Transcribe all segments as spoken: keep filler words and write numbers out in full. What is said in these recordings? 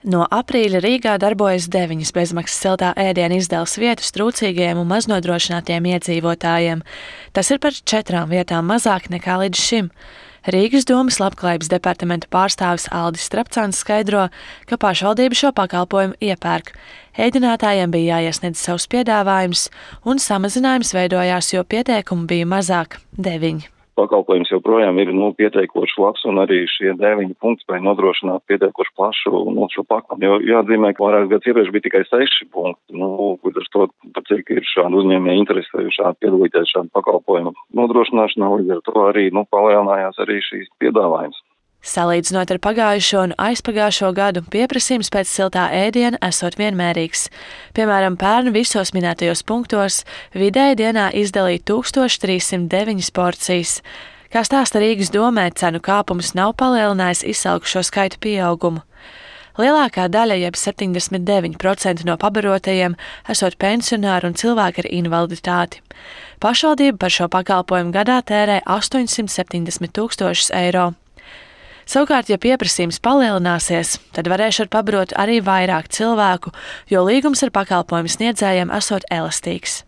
No aprīļa Rīgā darbojas deviņas bezmaksas siltā ēdiena izdales vietas trūcīgajiem un maznodrošinātiem iedzīvotājiem. Tas ir par četrām vietām mazāk nekā līdz šim. Rīgas domas labklājības departamenta pārstāvis Aldis Strapcāns skaidro, ka pašvaldība šo pakalpojumu iepērk. Ēdinātājiem bija jāiesniedz savus piedāvājumus, un samazinājums veidojās, jo pieteikumu bija mazāk – deviņi. Pakalpojums joprojām ir nu, pieteikoši labs, un arī šie deviņi punkti spēja nodrošināt pieteikoši plašu nu, šo pakalpojumu. Jo jāatzīmē, ka vairākas gadus iepriekš bija tikai seši punkti. Nu, ar to, par cik ir šāda uzņēmēja interese šādi piedalīties šādu pakalpojumu nodrošināšanā, līdz ar to arī nu, palielinājās arī šīs piedāvājums. Salīdzinot ar pagājušo un aizpagājušo gadu, pieprasījums pēc siltā ēdiena esot vienmērīgs. Piemēram, pērn visos minētajos punktos vidēji dienā izdalīja tūkstoš trīs simt deviņas porcijas. Kā stāsta Rīgas domē, cenu kāpums nav palielinājis izsalkušo skaitu pieaugumu. Lielākā daļa, jeb septiņdesmit deviņi procenti no pabarotajiem, esot pensionāri un cilvēki ar invaliditāti. Pašvaldība par šo pakalpojumu gadā tērē astoņsimt septiņdesmit tūkstošus eiro. Savukārt, ja pieprasījums palielināsies, tad varēšu pabarot arī vairāk cilvēku, jo līgums ar pakalpojumu sniedzējiem esot elastīgs.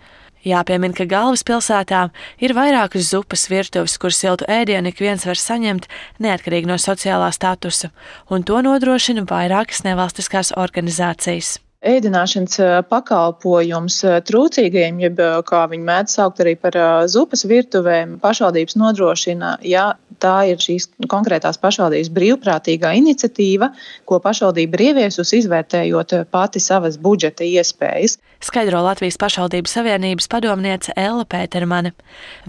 Jāpiemina, ka galvaspilsētā ir vairākas zupas virtuves, kur siltu ēdienu ik viens var saņemt neatkarīgi no sociālā statusa, un to nodrošina vairākas nevalstiskās organizācijas. Ēdināšanas pakalpojums trūcīgajiem, jeb kā viņi mēdz saukt arī par zupas virtuvēm, pašvaldības nodrošina, ja tā ir šīs konkrētās pašvaldības brīvprātīgā iniciatīva, ko pašvaldība ir ieviesusi, izvērtējot pati savas budžeta iespējas. Skaidro Latvijas pašvaldību savienības padomniece Ella Pētermane.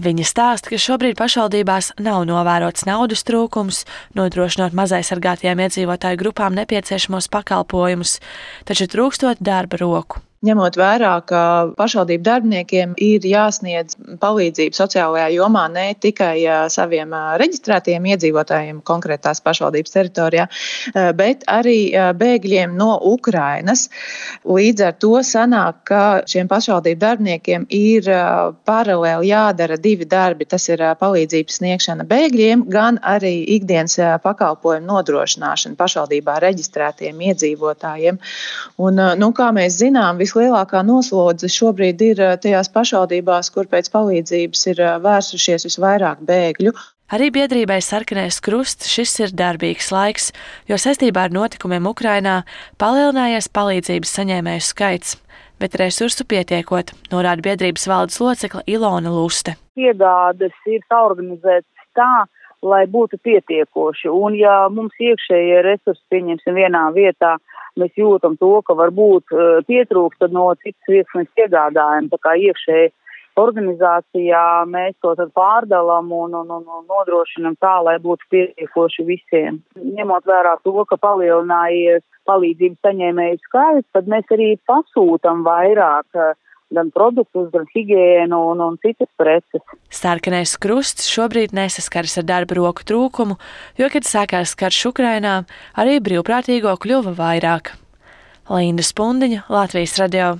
Viņa stāsta, ka šobrīd pašvaldībās nav novērots naudas trūkums, nodrošinot mazaizsargātajām iedzīvotāju grupām nepieciešamos pakalpojumus, taču trūkstot darba roku. Ņemot vērā, ka pašvaldību darbiniekiem ir jāsniedz palīdzību sociālajā jomā ne tikai saviem reģistrētajiem iedzīvotājiem konkrētās pašvaldības teritorijā, bet arī bēgļiem no Ukrainas. Līdz ar to sanāk, ka šiem pašvaldību darbiniekiem ir paralēli jādara divi darbi. Tas ir palīdzības sniegšana bēgļiem, gan arī ikdienas pakalpojumu nodrošināšana pašvaldībā reģistrētiem iedzīvotājiem. Un, nu, kā mēs zinām, vislielākā noslodze šobrīd ir tajās pašvaldībās, kur pēc palīdzības ir vērsušies visvairāk bēgļu. Arī biedrībai Sarkanais krusts šis ir darbīgs laiks, jo saistībā ar notikumiem Ukrainā palielinājies palīdzības saņēmēju skaits, bet resursu pietiekot, norāda biedrības valdes locekle Ilona Luste. Iegādes ir saorganizētas tā, lai būtu pietiekoši, un ja mums iekšējie resursi pieņemsim vienā vietā, mēs jūtam to, ka varbūt pietrūkst, tad no citas vietas mēs iegādājam. Tā kā iekšēji organizācijā mēs to tad pārdalam un, un, un nodrošinam tā, lai būtu pietiekoši visiem. Ņemot vērā to, ka palielinājies palīdzības saņēmēju skaits, tad mēs arī pasūtam vairāk gan produktus, gan higiēnu un, un citas preces. Sarkanais krusts šobrīd nesaskaras ar darba roku trūkumu, jo, kad sākās karš Ukrainā, arī brīvprātīgo kļuva vairāk. Linda Spundiņa, Latvijas radio.